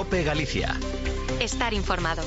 COPE Galicia. Estar informado.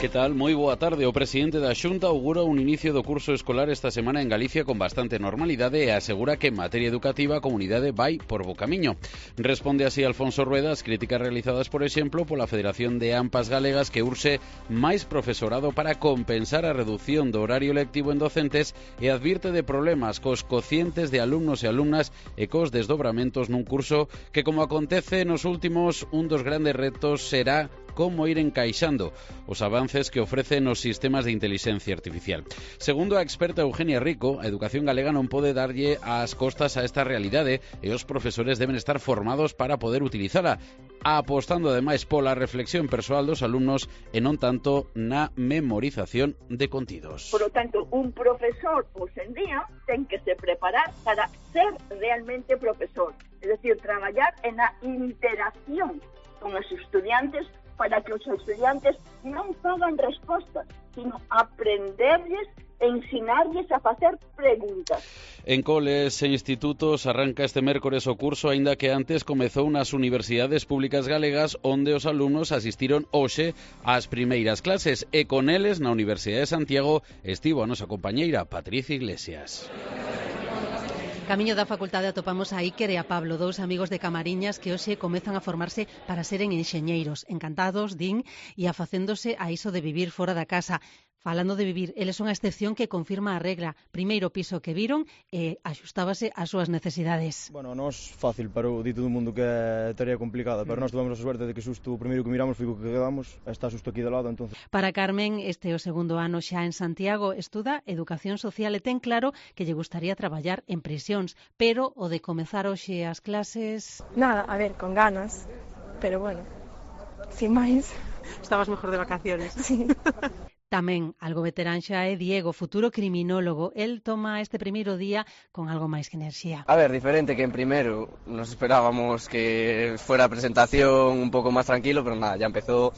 Que tal? Moi boa tarde. O presidente da Xunta augura un inicio do curso escolar esta semana en Galicia con bastante normalidade e asegura que en materia educativa a comunidade vai por bo camiño. Responde así Alfonso Rueda as críticas realizadas, por exemplo, pola Federación de AMPAs Galegas, que urxe máis profesorado para compensar a reducción do horario lectivo en docentes e advirte de problemas cos cocientes de alumnos e alumnas e cos desdobramentos nun curso que, como acontece nos últimos, un dos grandes retos será como ir encaixando os avances que ofrecen os sistemas de inteligencia artificial. Segundo a experta Eugenia Rico, a educación galega non pode darlle as costas a esta realidade e os profesores deben estar formados para poder utilizala, apostando ademais pola reflexión persoal dos alumnos e non tanto na memorización de contidos. Por lo tanto, un profesor hoxe en día ten que se preparar para ser realmente profesor, es decir, traballar en la interacción con os estudiantes para que os estudiantes non fagan respostas, sino aprenderlles e ensinarlles a facer preguntas. En coles e institutos arranca este mércores o curso, aínda que antes comezou nas universidades públicas galegas, onde os alumnos asistiron hoxe ás primeiras clases, e con eles na Universidade de Santiago estivo a nosa compañeira Patricia Iglesias. Camiño da facultade atopamos a Iker e a Pablo, dous amigos de Camariñas que hoxe comezan a formarse para seren enxeñeiros. Encantados, din, e afacéndose a iso de vivir fora da casa. Falando de vivir, eles son a excepción que confirma a regla. Primeiro piso que viron e axustábase ás súas necesidades. Bueno, nos fácil, pero di todo o mundo que é tarea complicada, pero nós tivemos a suerte de que xusto o primeiro que miramos foi o que quedamos, está xusto aquí de lado, entonces. Para Carmen, este é o segundo ano xa en Santiago, estuda Educación Social e ten claro que lle gustaría traballar en prisións, pero o de comezar hoxe as clases... Nada, a ver, con ganas, pero bueno, sin máis. Estabas mejor de vacaciones. Sí. Tamén, algo veterán xa é Diego, futuro criminólogo. El toma este primeiro día con algo máis que enerxía. A ver, diferente que en primero. Nos esperábamos que fuera a presentación un pouco máis tranquilo, pero nada, ya empezó.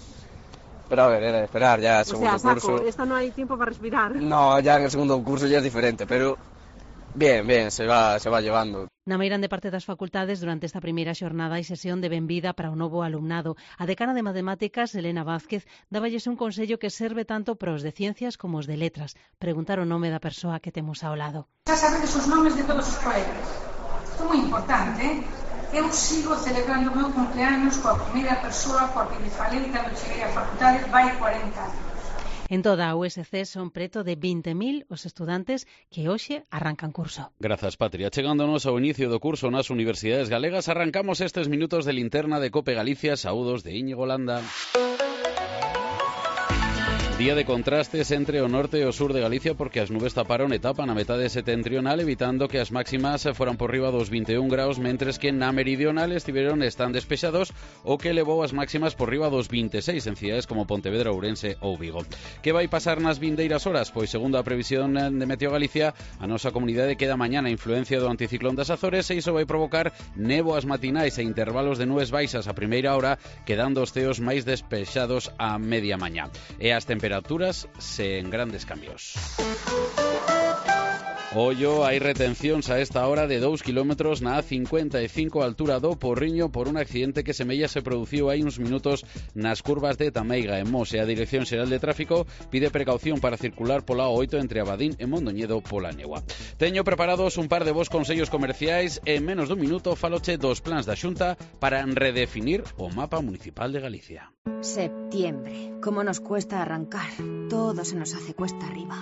Pero a ver, era de esperar ya el segundo curso. Esto no hai tiempo para respirar. No, ya en el segundo curso ya es diferente, pero bien, se va llevando. Na meirande parte das facultades, durante esta primeira xornada hai sesión de benvida para o novo alumnado. A decana de Matemáticas, Elena Vázquez, dáballes un consello que serve tanto para os de Ciencias como os de Letras. Preguntar o nome da persoa que temos ao lado. Xa sabedes os nomes de todos os colegas. Isto é moi importante, Eu sigo celebrando o meu cumpleaños coa primeira persoa coa que me falei cando cheguei á facultade vai 40 anos. En toda a USC son preto de 20.000 os estudantes que hoxe arrancan curso. Grazas, Patria. Chegándonos ao inicio do curso nas universidades galegas, arrancamos estes minutos de linterna de COPE Galicia. Saúdos de Íñigo Landa. Día de contrastes entre o norte e o sur de Galicia, porque as nubes taparon etapa na metade setentrional, evitando que as máximas foran por riba dos 21 graus, mentres que na meridional están despexados, o que elevou as máximas por riba dos 26 en cidades como Pontevedra, Ourense ou Vigo. Que vai pasar nas vindeiras horas? Pois, segundo a previsión de Meteo Galicia, a nosa comunidade queda mañana a influencia do anticiclón das Azores, e iso vai provocar néboas matinais e intervalos de nubes baixas a primeira hora, quedando os ceos máis despexados a media mañá. E as temperaturas sen grandes cambios. Ollo, hai retencións a esta hora de 2 kilómetros na A55 altura do Porriño por un accidente que semella se produciu hai uns minutos nas curvas de Tameiga en Mos, e a Dirección Xeral de Tráfico pide precaución para circular pola A8 entre Abadín e Mondoñedo pola Negua. Teño preparados un par de vos consellos comerciais e en menos dun minuto faloche dos plans da Xunta para redefinir o mapa municipal de Galicia. Septiembre. ¿Cómo nos cuesta arrancar? Todo se nos hace cuesta arriba.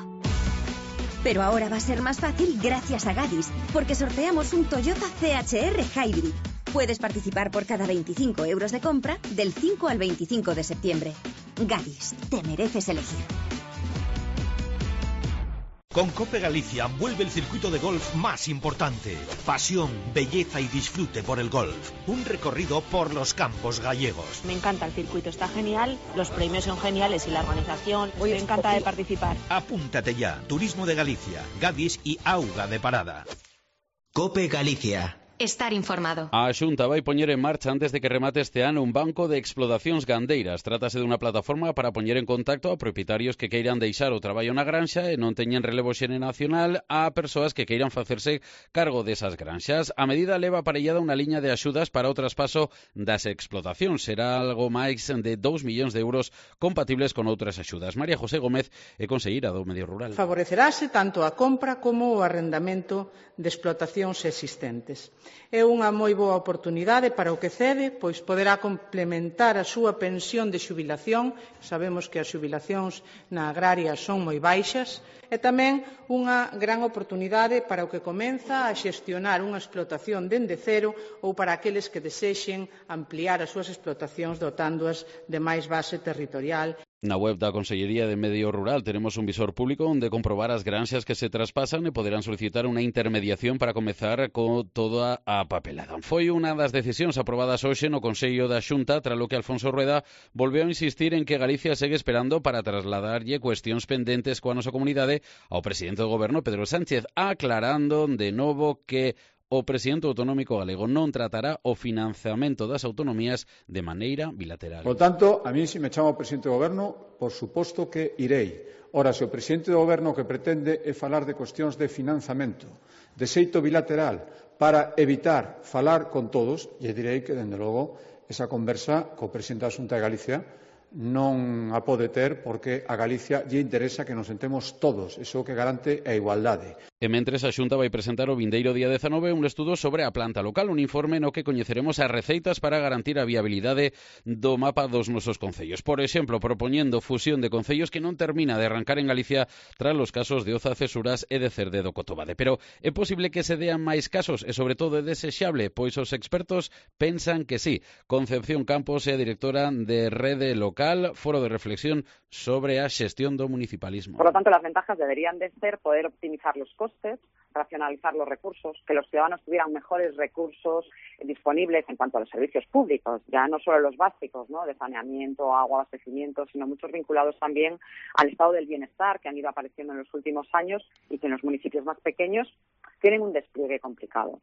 Pero ahora va a ser más fácil gracias a Gadis, porque sorteamos un Toyota CHR Hybrid. Puedes participar por cada 25 euros de compra del 5 al 25 de septiembre. Gadis, te mereces elegir. Con COPE Galicia vuelve el circuito de golf más importante. Pasión, belleza y disfrute por el golf. Un recorrido por los campos gallegos. Me encanta el circuito, está genial, los premios son geniales y la organización. Me encanta de participar. Apúntate ya. Turismo de Galicia, Gadis y Auga de Parada. COPE Galicia. estar informado. A Xunta vai poñer en marcha antes de que remate este ano un banco de explotacións gandeiras. Trátase dunha plataforma para poñer en contacto a propietarios que queiran deixar o traballo na granxa e non teñen relevo xeracional a persoas que queiran facerse cargo desas granxas. A medida leva aparellada unha liña de axudas para o traspaso das explotacións. Será algo máis de 2 millóns de euros compatibles con outras axudas. María José Gómez é conselleira do Medio Rural. Favorecerase tanto a compra como o arrendamento de explotacións existentes. É unha moi boa oportunidade para o que cede, pois poderá complementar a súa pensión de xubilación. Sabemos que as xubilacións na agraria son moi baixas, e tamén unha gran oportunidade para o que comeza a xestionar unha explotación dende cero ou para aqueles que desexen ampliar as súas explotacións dotándoas de máis base territorial. Na web da Consellería de Medio Rural tenemos un visor público onde comprobar as granxas que se traspasan e poderán solicitar unha intermediación para comezar con toda a papelada. Foi unha das decisións aprobadas hoxe no Consello da Xunta, tras lo que Alfonso Rueda volveu a insistir en que Galicia segue esperando para trasladarlle cuestións pendentes coa nosa comunidade ao presidente do Goberno, Pedro Sánchez, aclarando de novo que o presidente autonómico galego non tratará o financiamento das autonomías de maneira bilateral. Por tanto, a mí se me chama o presidente do Goberno, por suposto que irei. Ora, se o presidente do Goberno que pretende é falar de cuestións de financiamento, de xeito bilateral, para evitar falar con todos, lle direi que, dende logo, esa conversa co presidente da Xunta de Galicia non a pode ter porque a Galicia lle interesa que nos sentemos todos, iso que garante a igualdade. E mentres a Xunta vai presentar o vindeiro día 19 un estudo sobre a planta local, un informe no que coñeceremos as receitas para garantir a viabilidade do mapa dos nosos concellos. Por exemplo, propoñendo fusión de concellos que non termina de arrancar en Galicia tras os casos de Oza, Cesuras e de Cerde do Cotobade. Pero é posible que se dean máis casos e, sobre todo, é desexable, pois os expertos pensan que sí. Concepción Campos é a directora de Rede Local, foro de reflexión sobre a xestión do municipalismo. Por lo tanto, las ventajas deberían de ser poder optimizar los costes, racionalizar los recursos, que los ciudadanos tuvieran mejores recursos disponibles en cuanto a los servicios públicos, ya no solo los básicos, ¿no?, de saneamiento, agua, abastecimiento, sino muchos vinculados también al estado del bienestar que han ido apareciendo en los últimos años y que en los municipios más pequeños tienen un despliegue complicado.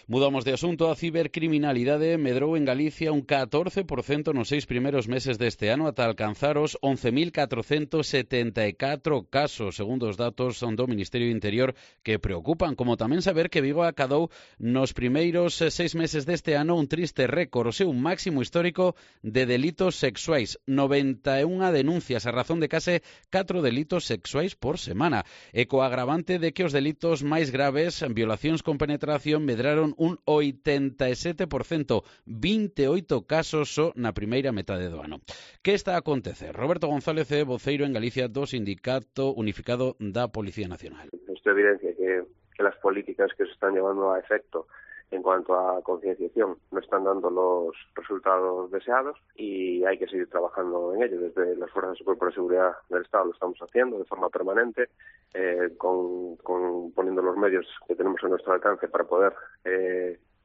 Mudamos de asunto. A cibercriminalidade medrou en Galicia un 14% nos 6 primeiros meses deste ano ata alcanzar os 11.474 casos, segundo os datos do Ministerio do Interior, que preocupan, como tamén saber que Vigo acadou nos primeiros 6 meses deste ano un triste récord, o seu máximo histórico de delitos sexuais, 91 denuncias a razón de case 4 delitos sexuais por semana, e co agravante de que os delitos máis graves, violacións con penetración, medraron un 87%, 28 casos só na primeira metade do ano. Que está a acontecer? Roberto González é voceiro en Galicia do Sindicato Unificado da Policía Nacional. Esto evidencia que las políticas que se están llevando a efecto en cuanto a concienciación no están dando los resultados deseados y hay que seguir trabajando en ello. Desde las Fuerzas y Cuerpos de Seguridad del Estado lo estamos haciendo de forma permanente, poniendo los medios que tenemos a nuestro alcance para poder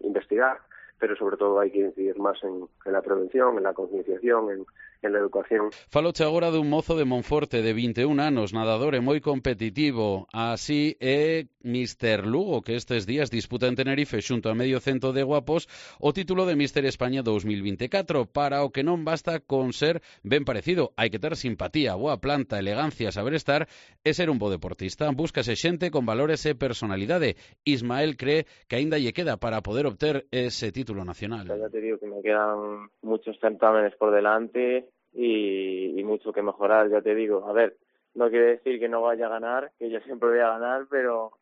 investigar, pero sobre todo hai que incidir máis en la prevención, en la concienciación, en la educación. Faloche agora dun mozo de Monforte de 21 anos, nadador e moi competitivo. Así é Mister Lugo, que estes días disputa en Tenerife xunto a medio cento de guapos o título de Mister España 2024, para o que non basta con ser ben parecido. Hai que ter simpatía, boa planta, elegancia, saber estar e ser un bo deportista. Búscase xente con valores e personalidade. Ismael cree que aínda lle queda para poder obter ese título nacional. Ya te digo que me quedan muchos certámenes por delante y mucho que mejorar, ya te digo. A ver, no quiere decir que no vaya a ganar, que yo siempre voy a ganar, pero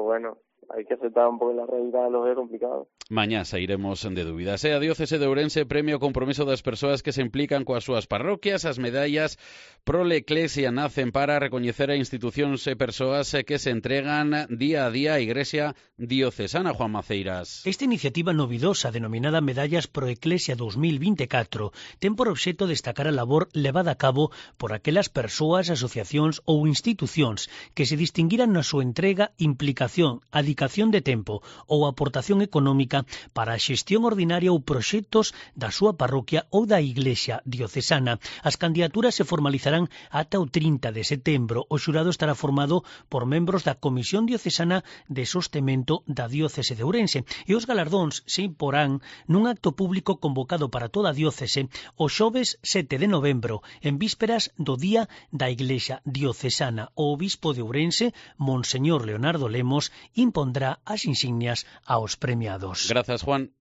bueno, hai que aceptar un pouco la realidad, lo é complicado. Mañá sairemos de dúbidas. A Diócese de Ourense premia o compromiso das persoas que se implican coas súas parroquias. As medallas Prole Eclesia nacen para recoñecer a institucións e persoas que se entregan día a día á Igrexa diocesana. Juan Maceiras. Esta iniciativa novidosa, denominada Medallas Pro Eclesia 2024, ten por obxecto destacar a labor levada a cabo por aquelas persoas, asociacións ou institucións que se distinguiran na súa entrega, implicación, a dedicación de tempo ou aportación económica para a xestión ordinaria ou proxectos da súa parroquia ou da Iglesia diocesana. As candidaturas se formalizarán ata o 30 de setembro. O xurado estará formado por membros da Comisión Diocesana de Sostemento da Diócese de Ourense e os galardóns se imporán nun acto público convocado para toda a diócese o xoves 7 de novembro, en vísperas do Día da Iglesia Diocesana. O obispo de Ourense, Monseñor Leonardo Lemos, impondrá as insignias aos premiados. Gracias, Juan.